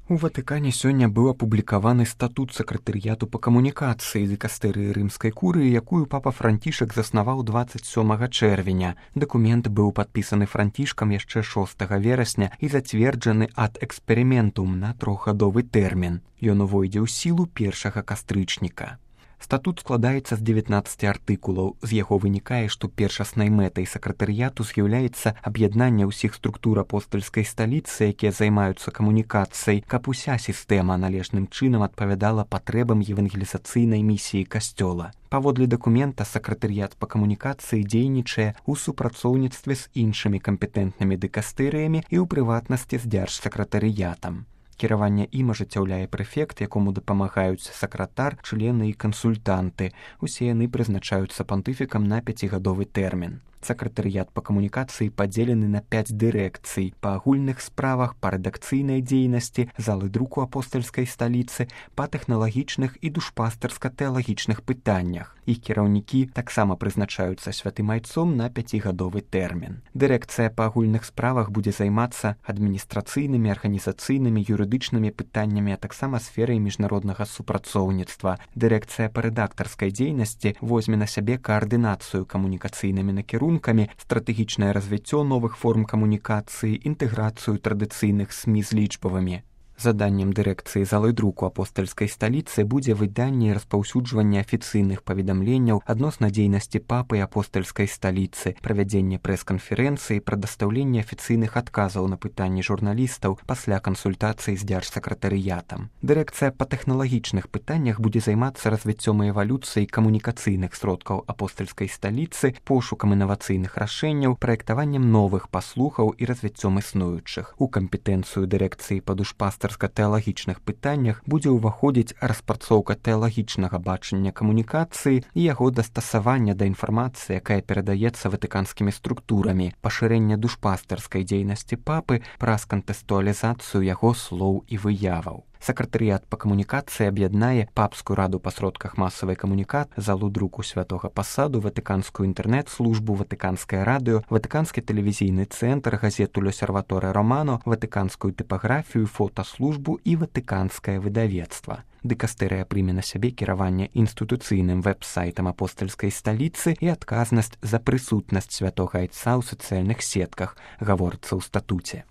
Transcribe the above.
У Ватыкане сёння быў апублікаваны статут сакратарыяту па камунікацыі дыкастэрыі рымскай курыі, якую папа Францішак заснаваў 27 чэрвеня. Дакумент быў падпісаны Францішкам яшчэ 6 верасня і зацверджаны ад эксперыментум на 3-гадовы тэрмін. Ён увойдзе ў сілу 1 кастрычніка. Статут складаецца з 19 артыкулаў. З яго вынікае, што першаснай мэтай сакратарыяту з'яўляецца аб'яднанне ўсіх структур апостальскай сталіцы, якія займаюцца камунікацыяй, каб уся сістэма належным чынам адпавядала патрэбам евангелізацыйнай місіі касцёла. Паводле дакумента сакратарыят па камунікацыі дзейнічае ў супрацоўніцтве з іншымі кампетэнтнымі дыкастэрыямі і ў прыватнасці з дзяржсакратарыятам. Кіраванне ім ажыццяўляе прэфект, якому дапамагаюць сакратар, члены і кансультанты. Усе яны прызначаюцца пантыфікам на 5-гадовы тэрмін. Сакратарыят па камунікацыі падзелены на 5 дырэкцый па агульных справах, па рэдакцыйнай дзейнасці, залы друку апостальскай сталіцы, па тэхналагічных і душпастарска-тэалагічных пытаннях. Іх кіраўнікі таксама прызначаюцца святым айцом на 5-гадовы тэрмін. Дырэкцыя па агульных справах будзе займацца адміністрацыйнымі, арганізацыйнымі, юрыдычнымі пытаннямі, а таксама сферай міжнароднага супрацоўніцтва. Дырэкцыя па рэдактарскай дзейнасці возьме на сябе каардынацыю камунікацыйнымі накірункамі, стратэгічнае развіццё новых форм камунікацыі, інтэграцыю традыцыйных СМІ з лічбавымі. Заданнем дырэкцыі залы друку апостальскай сталіцы будзе выданне і распаўсюджванне афіцыйных паведамленняў адносна дзейнасці папы і апостальскай сталіцы, правядзенне прэс-канферэнцыі, прадастаўленне афіцыйных адказаў на пытанні журналістаў пасля кансультацыі з дзяржсакратарыятам. Дырэкцыя па тэхналагічных пытаннях будзе займацца развіццём і эвалюцыяй камунікацыйных сродкаў апостальскай сталіцы, пошукам інавацыйных рашэнняў, праектаваннем новых паслухаў і развіццём існуючых. У кампетэнцыю дырэкцыі па душпастарска-тэалагічных пытаннях будзе ўваходзіць распрацоўка тэалагічнага бачання камунікацыі і яго дастасавання да інфармацыі, якая перадаецца ватыканскімі структурамі, пашырэнне душпастарскай дзейнасці папы праз кантэкстуалізацыю яго слоў і выяваў. Сакратарыят па камунікацыі аб'яднае папскую раду па сродках масавай камунікацыі, залу друку святога пасаду, ватыканскую інтэрнэт-службу, ватыканскае радыё, ватыканскі тэлевізійны цэнтр, газету «Л'осерваторе Романо», ватыканскую тыпаграфію, фотаслужбу і ватыканскае выдавецтва. Дыкастэрыя прыме на сябе кіраванне інстытуцыйным вэб-сайтам апостальскай сталіцы і адказнасць за прысутнасць святога айца ў сацыяльных сетках, гаворыцца ў статуце.